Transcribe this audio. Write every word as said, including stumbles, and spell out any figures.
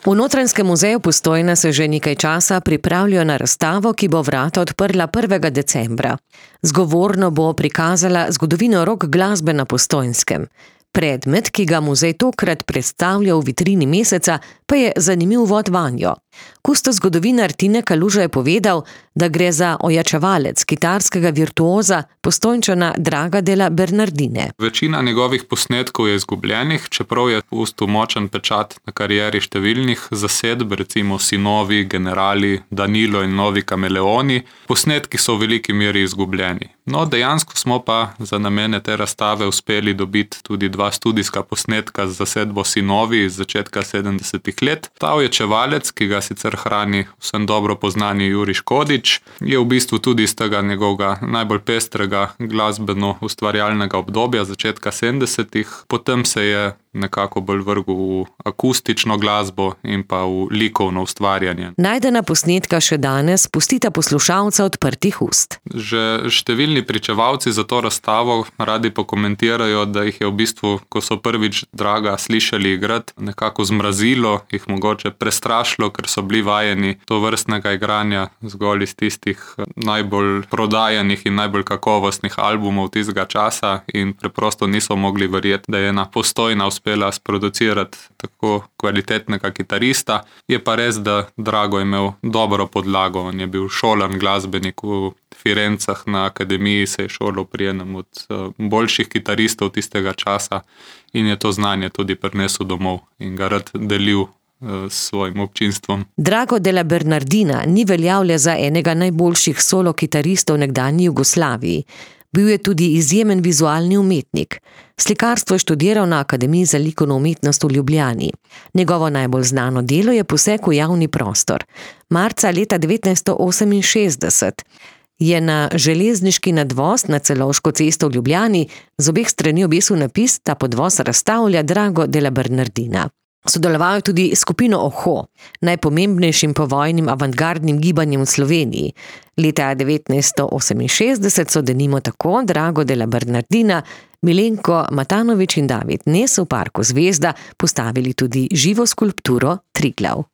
V Notranjskem muzeju Postojna se že nekaj časa pripravljajo na razstavo, ki bo vrata odprla prvega decembra. Zgovorno bo prikazala zgodovino rock glasbe na Postojnskem. Predmet, ki ga muzej tokrat predstavlja v vitrini meseca, pa je zanimiv uvod vanjo. Kustos zgodovinar Tine Kaluža je povedal, da gre za ojačevalec kitarskega virtuoza Postojnčana Draga della Bernardine. Večina njegovih posnetkov je izgubljenih, čeprav je pustil močen pečat na karieri številnih zasedb, recimo Sinovi, Generali, Danilo in Novi kameleoni. Posnetki so v veliki meri izgubljeni. No, dejansko smo pa za namene te razstave uspeli dobiti tudi dva studijska posnetka z zasedbo Sinovi iz začetka sedemdesetih let. Ta ojačevalec, ki ga sicer hrani vsem dobro poznani Jurij Škodič, je v bistvu tudi iz tega njegovega najbolj pestrega glasbeno-ustvarjalnega obdobja začetka sedemdesetih. Potem se je nekako bolj vrgel v akustično glasbo in pa v likovno ustvarjanje. Najdena posnetka še danes pustita poslušalca odprtih ust. Že številni pričevalci za to razstavo radi pokomentirajo, da jih je v bistvu, ko so prvič Draga slišali igrati, nekako zmrazilo, jih mogoče prestrašilo, ker so bili vajeni tovrstnega igranja zgolj iz tistih najbolj prodajanih in najbolj kakovostnih albumov tistega časa in preprosto niso mogli verjeti, da je ena Postojna uspela sproducirati tako kvalitetnega kitarista. Je pa res, da Drago je imel dobro podlago. On je bil šolan glasbenik v Firencah, na akademiji se je šolal pri enem od boljših kitaristov tistega časa in je to znanje tudi prinesel domov in ga rad delil s svojim občinstvom. Drago della Bernardina ni veljal le za enega najboljših solo kitaristov nekdanji Jugoslaviji. Bil je tudi izjemen vizualni umetnik. Slikarstvo je študiral na Akademiji za likovno umetnost v Ljubljani. Njegovo najbolj znano delo je poseg v javni prostor. Marca leta devetnajststo oseminšestdeset je na železniški nadvoz na Celovško cesto v Ljubljani z obeh strani obesil napis: "Ta podvoz razstavlja Drago della Bernardina." Sodeloval je tudi s skupino Oho, najpomembnejšim povojnim avantgardnim gibanjem v Sloveniji. Leta devetnajststo oseminšestdeset so denimo tako Drago della Bernardina, Milenko Matanovič in David Nes v parku Zvezda postavili tudi živo skulpturo Triglav.